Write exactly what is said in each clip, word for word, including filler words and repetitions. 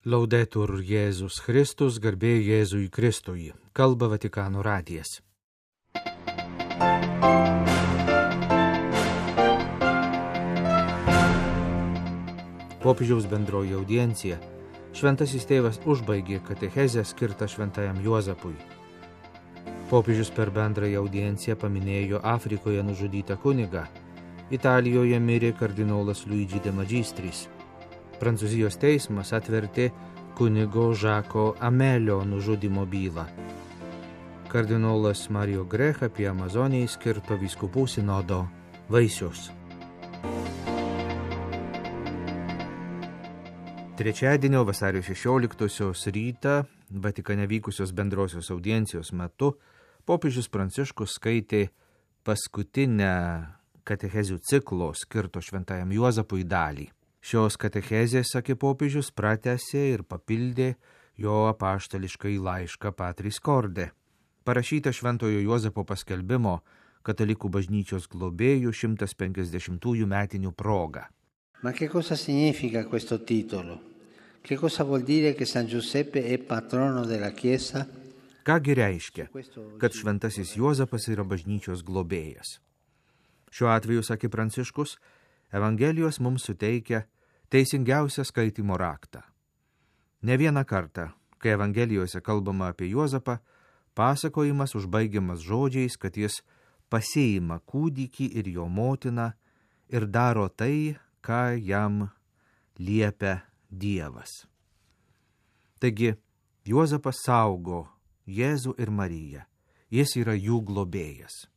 Laudetur Jėzus Kristus, garbė Jėzui Kristui. Kalba Vatikano radijas. Popiežiaus bendroji audiencija. Šventasis tėvas užbaigė katechezę skirtą šventajam Juozapui. Popiežius per bendrąją audienciją paminėjo Afrikoje nužudytą kunigą. Italijoje mirė kardinolas Luigi de Magistris. Prancūzijos teismas atvertė kunigo Žako Amelio nužudymo bylą. Kardinolas Mario Grech apie Amazonijai skirto vyskupų sinodo vaisius. Trečiadienio vasario šešioliktosios rytą Vatikane vykusios bendrosios audiencijos metu popiežius Pranciškus skaitė paskutinę katechezių ciklo skirto šventajam Juozapui dalį. Šios katechezės, sakė popiežius, pratęsė ir papildė jo apaštališkai laišką Patris Corde, parašytą šventojo Juozapo paskelbimo katalikų bažnyčios globėjų šimtas penkiasdešimtųjų metinių proga. Ma che cosa significa questo titolo? Che cosa vuol dire che San Giuseppe è patrono della Chiesa? Kągi reiškia, kad šventasis Juozapas yra bažnyčios globėjas? Šiuo atveju, sakė Pranciškus, Evangelijos mums suteikia teisingiausią skaitymo raktą. Ne vieną kartą, kai Evangelijose kalbama apie Juozapą, pasakojimas užbaigiamas žodžiais, kad jis pasiima kūdikį ir jo motiną ir daro tai, ką jam liepia Dievas. Taigi, Juozapas saugo Jėzų ir Mariją. Jis yra jų globėjas.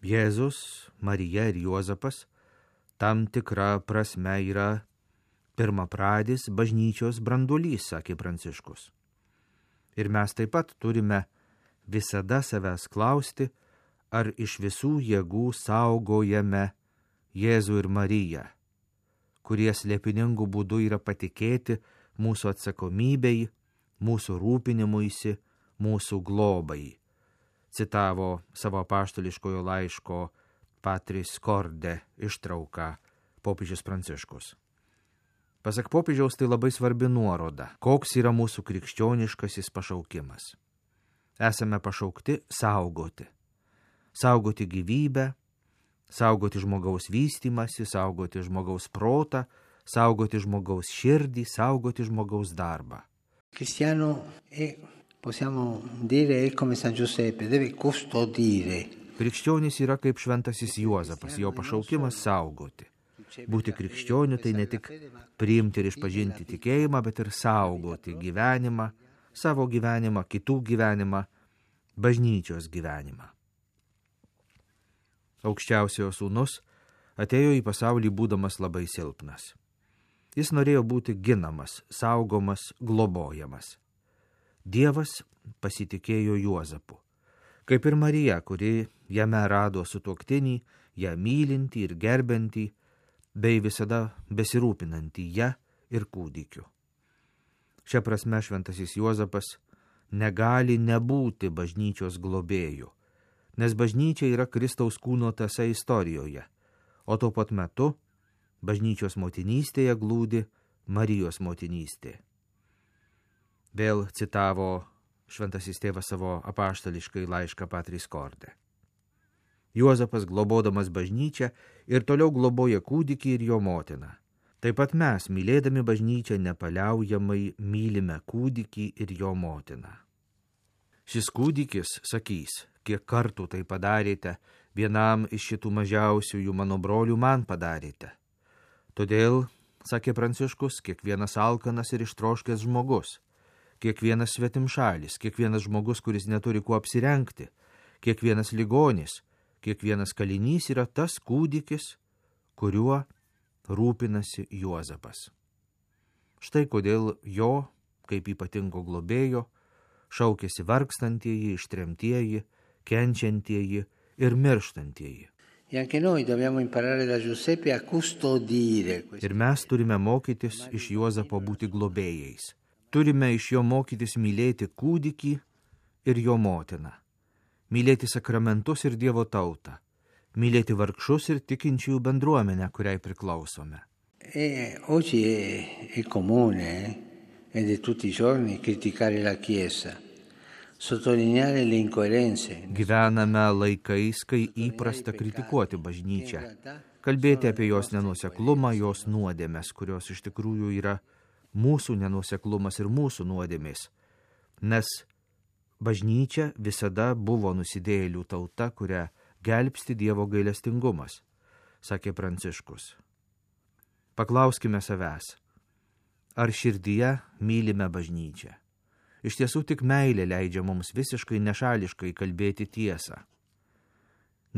Jėzus, Marija ir Juozapas tam tikra prasme yra pirmapradis bažnyčios branduolys, sakė Pranciškus. Ir mes taip pat turime visada savęs klausti, ar iš visų jėgų saugojame Jėzų ir Mariją, kurie slėpiningų būdų yra patikėti mūsų atsakomybei, mūsų rūpinimuisi, mūsų globai. Citavo savo apaštališkojo laiško Patris Corde ištrauką popiežius Pranciškus. Pasak popiežiaus, tai labai svarbi nuoroda, koks yra mūsų krikščioniškasis pašaukimas. Esame pašaukti saugoti. Saugoti gyvybę, saugoti žmogaus vystymasi, saugoti žmogaus protą, saugoti žmogaus širdį, saugoti žmogaus darbą. Cristiano è, possiamo dire, è come San Giuseppe, deve custodire. Krikščionis yra kaip šventasis Juozapas, jo pašaukimas saugoti. Būti krikščioniu tai ne tik priimti ir išpažinti tikėjimą, bet ir saugoti gyvenimą, savo gyvenimą, kitų gyvenimą, bažnyčios gyvenimą. Aukščiausiojo sūnus atėjo į pasaulį būdamas labai silpnas. Jis norėjo būti ginamas, saugomas, globojamas. Dievas pasitikėjo Juozapu. Kaip ir Marija, kuri jame rado sutuoktinį, ją mylintį ir gerbentį, bei visada besirūpinantį ją ir kūdikiu. Šia prasme šventasis Juozapas negali nebūti bažnyčios globėju, nes bažnyčia yra Kristaus kūno tąsa istorijoje, o tuo pat metu bažnyčios motinystėje glūdi Marijos motinystė. Vėl citavo šventasis tėvas savo apaštališkai laišką Patris Corde. Juozapas, globodamas bažnyčią, ir toliau globoja kūdikį ir jo motiną. Taip pat mes, mylėdami bažnyčią, nepaliaujamai mylime kūdikį ir jo motiną. Šis kūdikis sakys, kiek kartų tai padarėte, vienam iš šitų mažiausiųjų mano brolių man padarėte. Todėl, sakė Pranciškus, kiekvienas alkanas ir ištroškęs žmogus, kiekvienas svetimšalis, kiekvienas žmogus, kuris neturi kuo apsirengti, kiekvienas ligonis, kiekvienas kalinys yra tas kūdikis, kuriuo rūpinasi Juozapas. Štai kodėl jo, kaip ypatingo globėjo, šaukėsi vargstantieji, ištremtieji, kenčiantieji ir mirštantieji. Ir mes turime mokytis iš Juozapo būti globėjais. Turime iš jo mokytis mylėti kūdikį ir jo motiną, mylėti sakramentus ir Dievo tautą, mylėti vargšus ir tikinčiųjų bendruomenę, kuriai priklausome. E oggi è, è comune eh, ed è tutti i giorni criticare la Chiesa, sottolineare le incoerenze. Gyvename laikais, kai įprasta kritikuoti bažnyčią, kalbėti apie jos nenuoseklumą, jos nuodėmes, kurios iš tikrųjų yra mūsų nenuoseklumas ir mūsų nuodėmės, nes bažnyčia visada buvo nusidėjėlių tauta, kurią gelbsti Dievo gailestingumas, sakė Pranciškus. Paklauskime savęs, ar širdyje mylime bažnyčią. Iš tiesų tik meilė leidžia mums visiškai nešališkai kalbėti tiesą.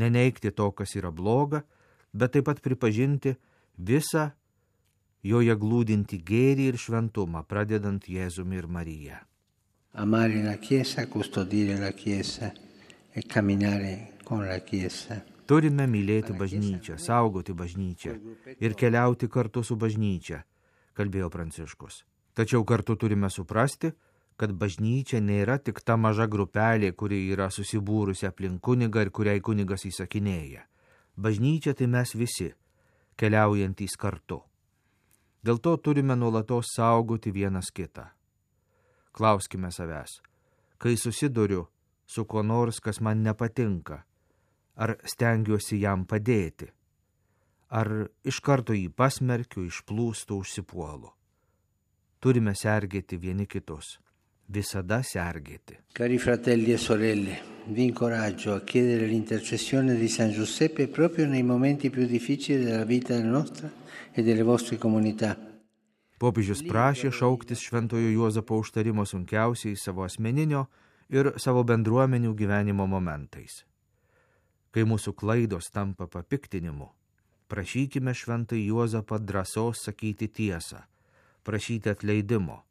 Neneigti to, kas yra bloga, bet taip pat pripažinti visą joje glūdinti gėrį ir šventumą, pradedant Jėzumi ir Marija. Amare la Chiesa, custodire la Chiesa e camminare con la Chiesa. Turime mylėti bažnyčią, saugoti bažnyčią ir keliauti kartu su bažnyčia, kalbėjo Pranciškus. Tačiau kartu turime suprasti, kad bažnyčia nėra tik ta maža grupelė, kuri yra susibūrusi aplink kunigą ir kuriai kunigas įsakinėja. Bažnyčia tai mes visi, keliaujantys kartu. Dėl to turime nuolatos saugoti vienas kitą. Klauskime savęs, kai susiduriu su kuo nors, kas man nepatinka, ar stengiuosi jam padėti, ar iš karto jį pasmerkiu, išplūstu, užsipuolu. Turime sergėti vieni kitus, visada sergėti. Cari fratelli e sorelle, vi incoraggio a chiedere l'intercessione di San Giuseppe proprio nei momenti più difficili della vita nostra e delle vostre comunità. Popiežius prašė šauktis šventojo Juozapo užtarimo sunkiausiai savo asmeninio ir savo bendruomenių gyvenimo momentais. Kai mūsų klaidos tampa papiktinimu, prašykime šventąjį Juozapą drąsos sakyti tiesą, prašyti atleidimo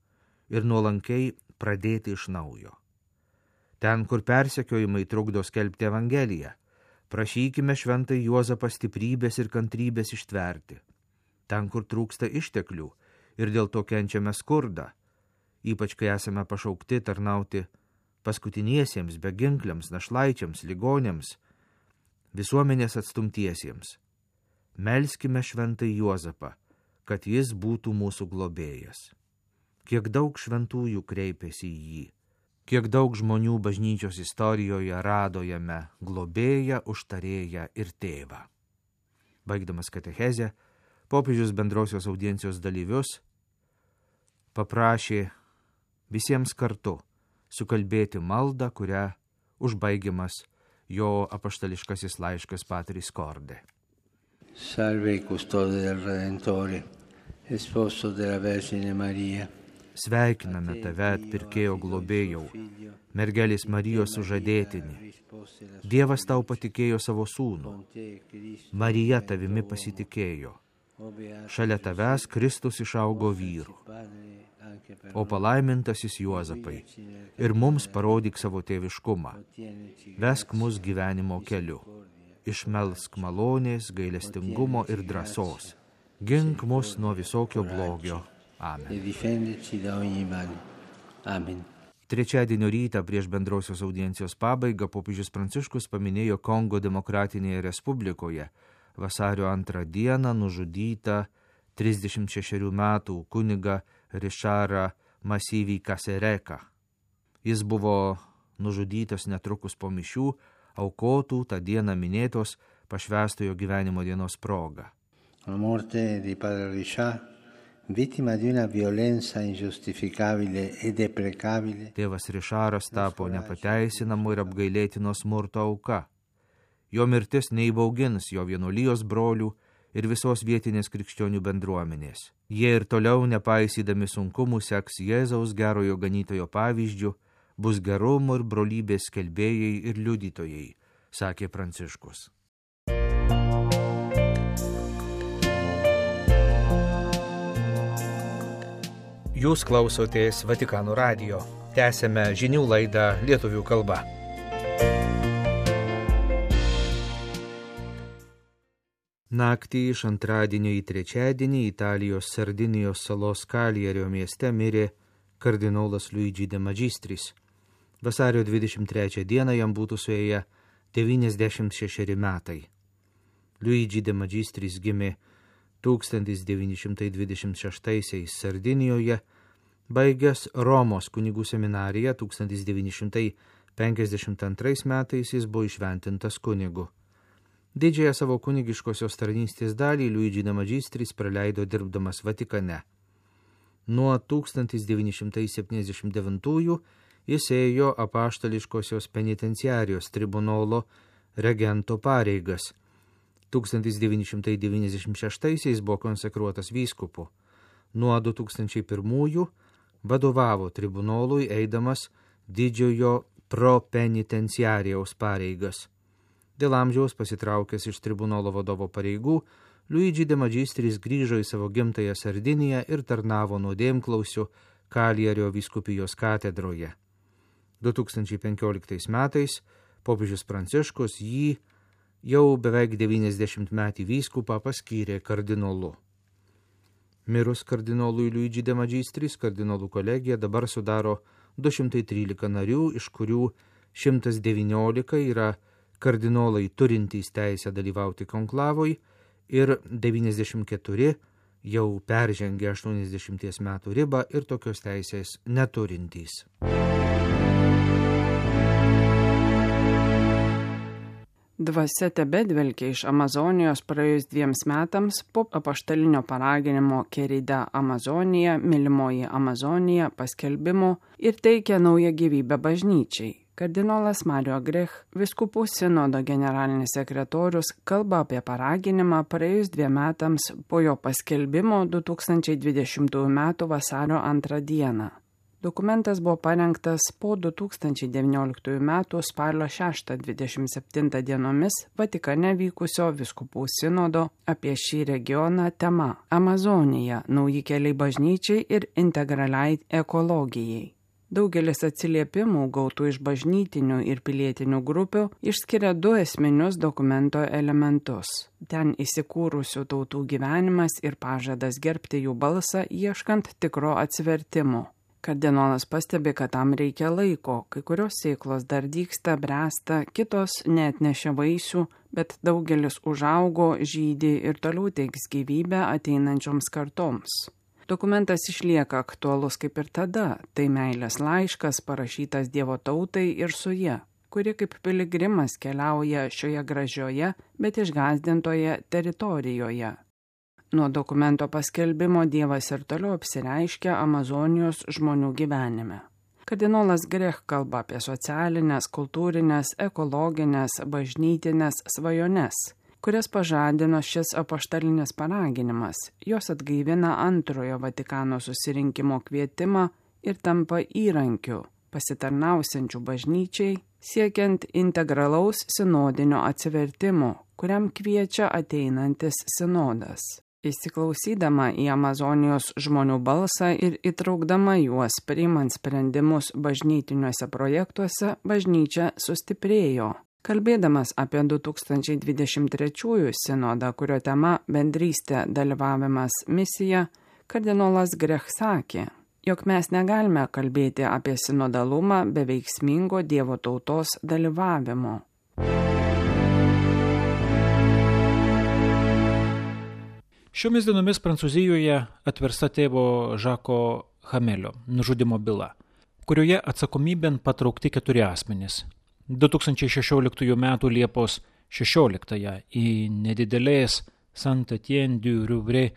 ir nuolankiai pradėti iš naujo. Ten, kur persekiojimai trukdo skelbti Evangeliją, prašykime šventąjį Juozapą stiprybės ir kantrybės ištverti. Ten, kur trūksta išteklių ir dėl to kenčiame skurdą, ypač kai esame pašaukti tarnauti paskutiniesiems, beginkliams, našlaičiams, ligonėms, visuomenės atstumtiesiems. Melskime šventąjį Juozapą, kad jis būtų mūsų globėjas. Kiek daug šventųjų kreipėsi į jį, kiek daug žmonių bažnyčios istorijoje rado jame globėją, užtarėją ir tėvą. Baigdamas katechezę, popiežius bendrosios audiencijos dalyvius paprašė visiems kartu sukalbėti maldą, kurią užbaigiamas jo apaštališkasis laiškas Patris Corde. Salve custode del Redentore, esposo della Vergine Maria. Sveikiname tave, atpirkėjo globėjau, mergelės Marijos sužadėtinį. Dievas tau patikėjo savo sūnų. Marija tavimi pasitikėjo. Šalia tavęs Kristus išaugo vyrų. O palaimintasis Juozapai, ir mums parodyk savo tėviškumą. Vesk mus gyvenimo keliu. Išmelsk malonės, gailestingumo ir drąsos. Gink mus nuo visokio blogio. Amen. Amen. Trečiadienio rytą prieš bendrosios audiencijos pabaigą popiežius Pranciškus paminėjo Kongo Demokratinėje Respublikoje vasario antrą dieną nužudytą trisdešimt šešerių metų kunigą Richarą Masyvį Kasereką. Jis buvo nužudytas netrukus po mišių, aukotų tą dieną minėtos pašvęstojo gyvenimo dienos proga. La morte di padre Richard, vittima di una violenza ingiustificabile e deprecabile. Tėvas Rišaras tapo nepateisinamu ir apgailėtino smurto auka. Jo mirtis neįbaugins jo vienuolijos brolių ir visos vietinės krikščionių bendruomenės. Jie ir toliau, nepaisydami sunkumų, seks Jėzaus gerojo ganytojo pavyzdžių, bus gerumo ir brolybės skelbėjai ir liudytojai, sakė Pranciškus. Jūs klausotės Vatikano radijo. Tęsėme žinių laidą lietuvių kalba. Naktį iš antradienio į trečiadienį Italijos Sardinijos salos Kaljerio mieste mirė kardinolas Luigi de Magistris. Vasario dvidešimt trečią dieną jam būtų suėję devyniasdešimt šešeri metai. Luigi de Magistris gimė tūkstantis devyni šimtai dvidešimt šeštaisiais Sardinijoje, baigęs Romos kunigų seminariją tūkstantis devyni šimtai penkiasdešimt antrais metais jis buvo įšventintas kunigu. Didžiąją savo kunigiškosios tarnystės dalį Luigi de Magistris praleido dirbdamas Vatikane. Nuo tūkstantis devyni šimtai septyniasdešimt devintųjų jis ėjo apaštališkosios penitenciarijos tribunolo regento pareigas. tūkstantis devyni šimtai devyniasdešimt šeštaisiais buvo konsekruotas vyskupu. Nuo du tūkstančiai pirmųjų vadovavo tribunolui eidamas didžiojo propenitenciarijaus pareigas. Dėl amžiaus pasitraukęs iš tribunolo vadovo pareigų, Luigi de Magistris grįžo į savo gimtąją Sardiniją ir tarnavo nuodėmklausiu Kalierio vyskupijos katedroje. du tūkstančiai penkioliktais metais popiežius Pranciškus jį jau beveik devyniasdešimt metį vyskupą paskyrė kardinolu. Mirus kardinolui Luigi de Magistris, kardinolų kolegija dabar sudaro du šimtai trylika narių, iš kurių šimtas devyniolika yra kardinolai turintys teisę dalyvauti konklavoj ir devyniasdešimt keturi jau peržengė aštuoniasdešimties metų ribą ir tokios teisės neturintys. Dvasia tebedvelkia iš Amazonijos praėjus dviems metams po apaštalinio paraginimo Querida Amazonija, mylimoji Amazonija paskelbimo ir teikia naują gyvybę bažnyčiai. Kardinolas Mario Grech, vyskupų sinodo generalinis sekretorius, kalba apie paraginimą praėjus dviem metams po jo paskelbimo du tūkstančiai dvidešimtųjų metų vasario antrą dieną. Dokumentas buvo parengtas po du tūkstančiai devynioliktųjų metų spalio šeštą dvidešimt septintą dienomis Vatikane vykusio vyskupų sinodo apie šį regioną tema Amazonija – nauji keliai bažnyčiai ir integraliai ekologijai. Daugelis atsiliepimų gautų iš bažnytinių ir pilietinių grupių išskiria du esminius dokumento elementus. Ten įsikūrusių tautų gyvenimas ir pažadas gerbti jų balsą ieškant tikro atsivertimo. Kardinolas pastebi, kad tam reikia laiko, kai kurios sėklos dar dygsta, bręsta, kitos neatnešia vaisių, bet daugelis užaugo, žydi ir toliau teiks gyvybę ateinančioms kartoms. Dokumentas išlieka aktualus kaip ir tada, tai meilės laiškas parašytas Dievo tautai ir su ja, kuri kaip piligrimas keliauja šioje gražioje, bet išgąsdintoje teritorijoje. Nuo dokumento paskelbimo Dievas ir toliau apsireiškia Amazonijos žmonių gyvenime. Kardinolas Grech kalba apie socialinės, kultūrinės, ekologinės, bažnytinės svajones, kurias pažadino šis apaštalinis paraginimas. Jos atgaivina antrojo Vatikano susirinkimo kvietimą ir tampa įrankiu, pasitarnausiančių bažnyčiai, siekiant integralaus sinodinio atsivertimo, kuriam kviečia ateinantis sinodas. Įsiklausydama į Amazonijos žmonių balsą ir įtraukdama juos priimant sprendimus bažnytiniuose projektuose, bažnyčia sustiprėjo. Kalbėdamas apie du tūkstančiai dvidešimt trečiųjų sinodą, kurio tema bendrystė, dalyvavimas, misija, kardinolas Grech sakė, jog mes negalime kalbėti apie sinodalumą be veiksmingo Dievo tautos dalyvavimo. Šiomis dienomis Prancūzijoje atversta tėvo Žako Hamelio nužudimo byla, kurioje atsakomybėn patraukti keturi asmenys. du tūkstančiai šešioliktųjų metų Liepos šešioliktąją į nedidelės Saint-Étienne-du-Rouvray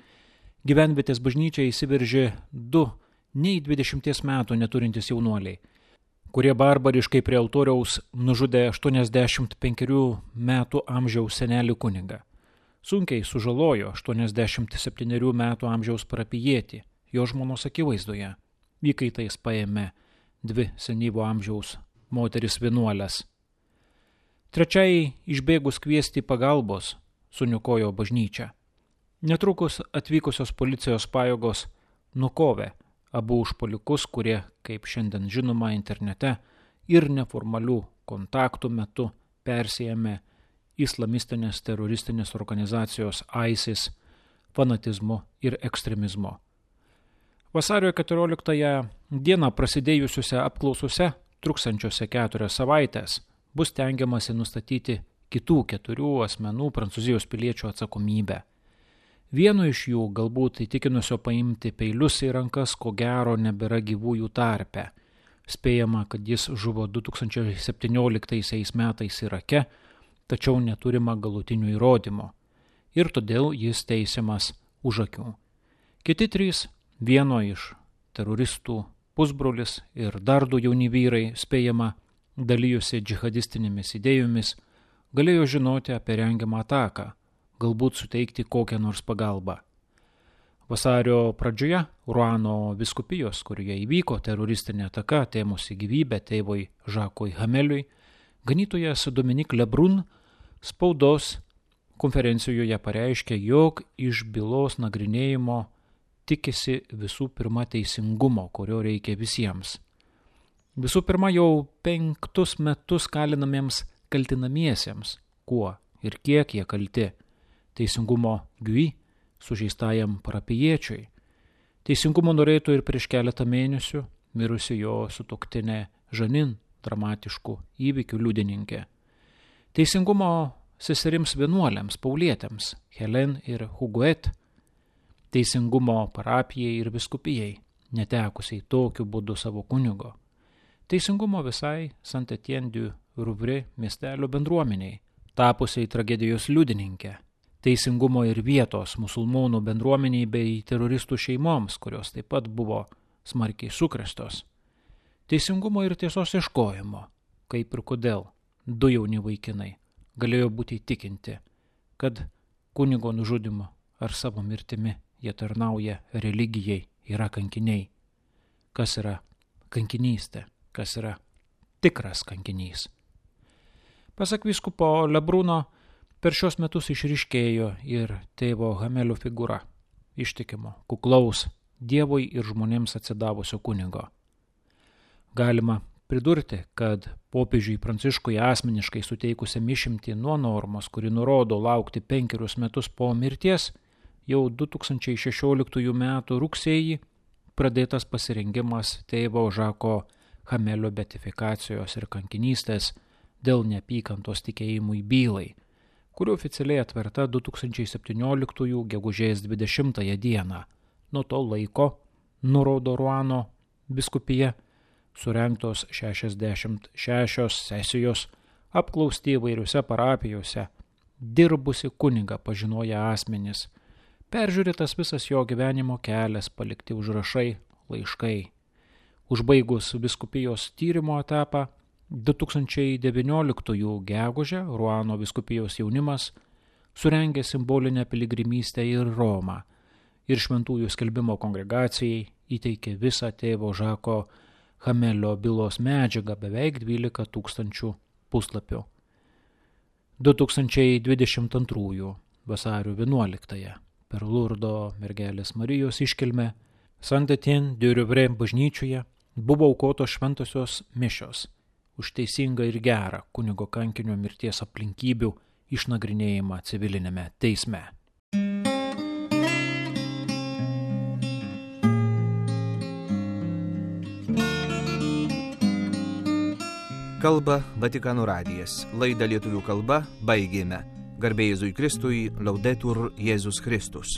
gyvenvietės bažnyčią įsiveržė du nei dvidešimties metų neturintys jaunuoliai, kurie barbariškai prie altoriaus nužudė aštuoniasdešimt penkerių metų amžiaus senelį kunigą. Sunkiai sužalojo aštuoniasdešimt septynerių metų amžiaus parapijietį, jo žmonos akivaizdoje. Įkaitais paėmė dvi senyvo amžiaus moteris vienuolės. Trečiai išbėgus kviesti pagalbos suniokojo bažnyčią. Netrukus atvykusios policijos pajėgos nukovė abu užpuolikus, kurie, kaip šiandien žinoma internete, ir neformalių kontaktų metu persijėmė islamistinės teroristinės organizacijos ISIS fanatizmu ir ekstremizmu. Vasario keturioliktąją dieną prasidėjusiuose apklausose, truksančiose keturias savaitės, bus tengiamasi nustatyti kitų keturių asmenų Prancūzijos piliečių atsakomybę. Vieno iš jų, galbūt įtikinusio paimti peilius į rankas, ko gero nebėra gyvųjų tarpe. Spėjama, kad jis žuvo du tūkstančiai septynioliktaisiais metais Irake, tačiau neturima galutinių įrodymų. Ir todėl jis teisiamas už akių. Kiti trys, vieno iš teroristų pusbrolis ir dar du jauni vyrai, spėjama, dalijusi džihadistinėmis idėjomis, galėjo žinoti apie rengiamą ataką, galbūt suteikti kokią nors pagalbą. Vasario pradžioje Ruano vyskupijos, kurioje įvyko teroristinė ataka, atėmusi gyvybę tėvui Žakui Hameliui, ganytojas Dominik Lebrun spaudos konferencijoje pareiškė, jog iš bylos nagrinėjimo tikisi visų pirma teisingumo, kurio reikia visiems. Visų pirma, jau penktus metus kalinamiems kaltinamiesiems, kuo ir kiek jie kalti. Teisingumo Gui, sužeistajam parapijiečiui. Teisingumo norėtų ir prieš keletą mėnesių mirusi jo sutuoktinė Žanin, dramatiškų įvykių liudininkė. Teisingumo seserims vienuoliams, paulietėms, Helen ir Huguet. Teisingumo parapijai ir viskupijai, netekusiai tokiu būdu savo kunigo. Teisingumo visai Saint-Étienne-du-Rouvray miestelio bendruomeniai, tapusiai tragedijos liudininkė. Teisingumo ir vietos musulmonų bendruomeniai bei teroristų šeimoms, kurios taip pat buvo smarkiai sukrėstos. Teisingumo ir tiesos ieškojimo, kaip ir kodėl du jauni vaikinai galėjo būti įtikinti, kad kunigo nužudymu ar savo mirtimi jie tarnauja religijai, yra kankiniai. Kas yra kankinystė? Kas yra tikras kankinys? Pasak vyskupo Lebruno, per šios metus išryškėjo ir tėvo Hamelio figūra, ištikimo, kuklaus, Dievui ir žmonėms atsidavusio kunigo. Galima pridurti, kad popiežiui Pranciškui asmeniškai suteikusiam išimtį nuo normos, kuri nurodo laukti penkerius metus po mirties, jau du tūkstančiai šešioliktųjų metų rugsėjį pradėtas pasirengimas tėvo Žako Hamelio beatifikacijos ir kankinystės dėl neapykantos tikėjimui bylai, kuri oficialiai atverta du tūkstančiai septynioliktųjų gegužės dvidešimtąją dieną. Nuo to laiko, nurodo Ruano vyskupija, surengtos šešiasdešimt šešios sesijos, apklausti įvairiuose parapijose, dirbusi kunigą pažinoję asmenys, peržiūrėtas visas jo gyvenimo kelias, palikti užrašai, laiškai. Užbaigus vyskupijos tyrimo etapą, du tūkstančiai devynioliktųjų gegužę Ruano vyskupijos jaunimas surengė simbolinę piligrimystę į Romą ir šventųjų skelbimo kongregacijai įteikė visą tėvo Žako Hamelio bylos medžiagą, beveik dvylika tūkstančių puslapių. du tūkstančiai dvidešimt antrųjų vasario vienuoliktąją per Lurdo mergelės Marijos iškilmę Saint-Étienne-du-Rouvray bažnyčioje buvo aukotos šventosios mišios už teisingą ir gerą kunigo kankinio mirties aplinkybių išnagrinėjimą civilinėme teisme. Kalba Vatikano radijas. Laidą lietuvių kalba baigėme. Garbė Jėzui Kristui, Laudetur Jėzus Kristus.